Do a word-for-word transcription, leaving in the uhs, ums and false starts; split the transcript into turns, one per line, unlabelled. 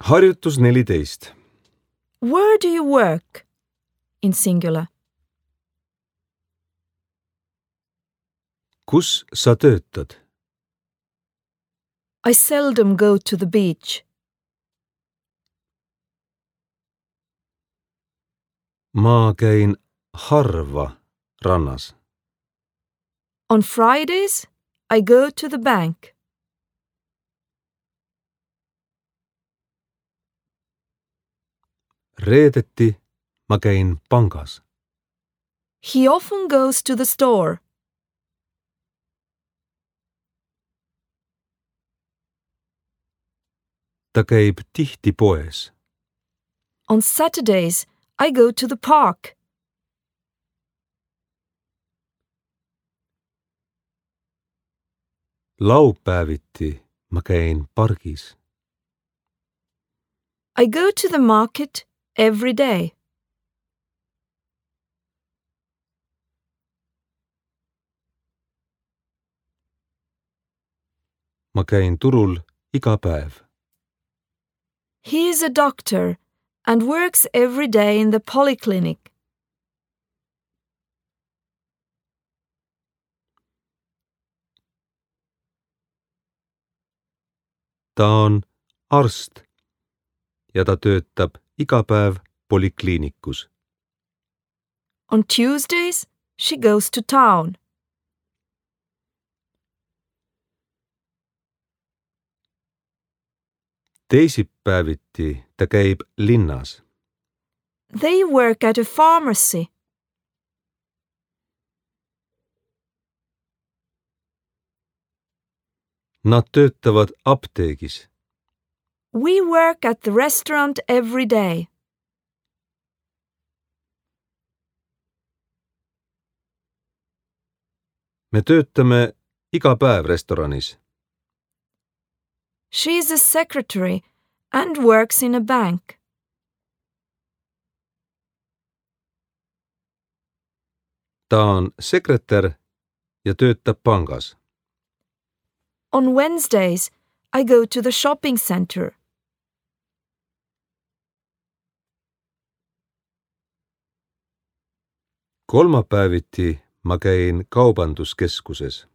Harjutus neliteist.
Where do you work? In singular.
Kus sa töötad?
I seldom go to the beach.
Ma käin harva rannas.
On Fridays, I go to the bank.
Reedeti ma käin pangas.
He often goes to the store.
Ta käib tihti poes.
On Saturdays, I go to the park.
Laupäeviti ma käin pargis.
I go to the market every day.
Ma käin turul iga päev.
He is a doctor and works every day in the polyclinic.
Ta on arst ja ta töötab iga päev polikliinikus.
On Tuesdays, she goes to town.
Teisipäeviti ta käib linnas.
They work at a pharmacy.
Nad töötavad apteegis.
We work at the restaurant every day.
Me töötame iga päev restoranis.
She is a secretary and works in a bank.
Ta on sekretär ja töötab pangas.
On Wednesdays, I go to the shopping center.
Kolmapäeviti ma käin kaubanduskeskuses.